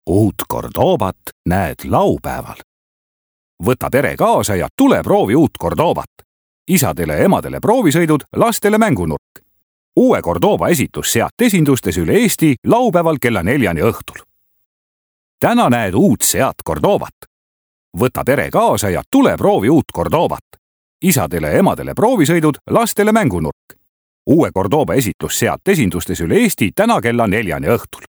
Uut Cordobat näed laupäeval. Võta pere kaasa ja tule proovi uut Cordobat. Isadele ja emadele proovisõidud, lastele mängunurk. Uue Cordoba esitus Seat esindustes üle Eesti laupäeval kella 4 õhtul. Täna näed uut Seat Cordobat. Võta pere kaasa ja tule proovi uut Cordobat. Isadele ja emadele proovisõidud, lastele mängunurk. Uue Cordoba esitus Seat esindustes üle Eesti täna kella 4 õhtul.